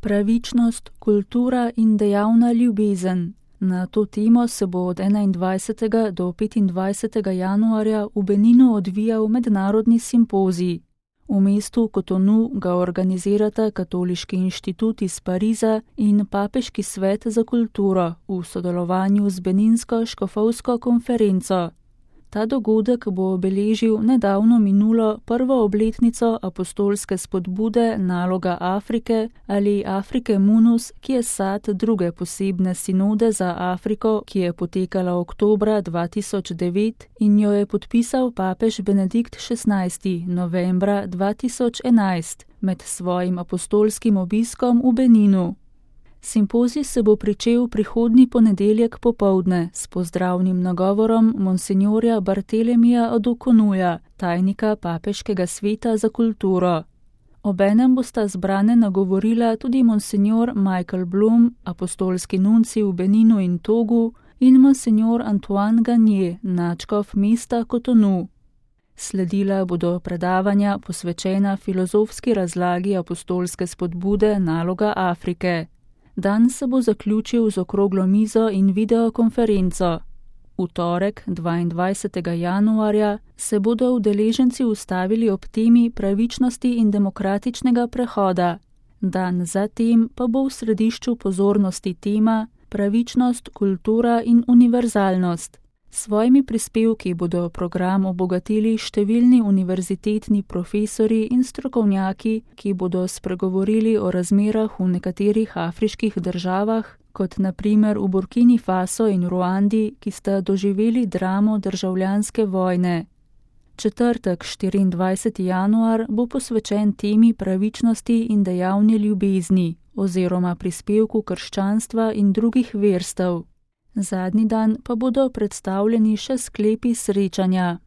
Pravičnost, kultura in dejavna ljubezen. Na to temo se bo od 21. do 25. januarja v Beninu odvijal mednarodni simpozij. V mestu Kotonu ga organizirata Katoliški inštitut iz Pariza in Papeški svet za kulturo v sodelovanju z Beninsko škofovsko konferenco. Ta dogodek bo obeležil nedavno minulo prvo obletnico apostolske spodbude Naloga Afrike ali Afrike Munus, ki je sad druge posebne sinode za Afriko, ki je potekala oktobra 2009 in jo je podpisal papež Benedikt XVI. Novembra 2011 med svojim apostolskim obiskom v Beninu. Simpozij se bo pričel prihodnji ponedeljek popoldne s pozdravnim nagovorom monsinjorja Bartelemija Adukonuja, tajnika Papeškega sveta za kulturo. Obenem bosta zbrane nagovorila tudi monsinjor Michael Blum, apostolski nunci v Beninu in Togu, in monsinjor Antoine Gagné, nadškof mesta Kotonu. Sledila bodo predavanja posvečena filozofski razlagi apostolske spodbude Naloga Afrike. Dan se bo zaključil z okroglo mizo in videokonferenco. V torek, 22. januarja, se bodo udeleženci ustavili ob temi pravičnosti in demokratičnega prehoda. Dan zatem pa bo v središču pozornosti tema pravičnost, kultura in univerzalnost. S svojimi prispevki bodo program obogatili številni univerzitetni profesori in strokovnjaki, ki bodo spregovorili o razmerah v nekaterih afriških državah, kot na primer v Burkini Faso in Ruandi, ki sta doživeli dramo državljanske vojne. Četrtek, 24. januar, bo posvečen temi pravičnosti in dejavni ljubezni oziroma prispevku krščanstva in drugih verstev. Zadnji dan pa bodo predstavljeni še sklepi srečanja.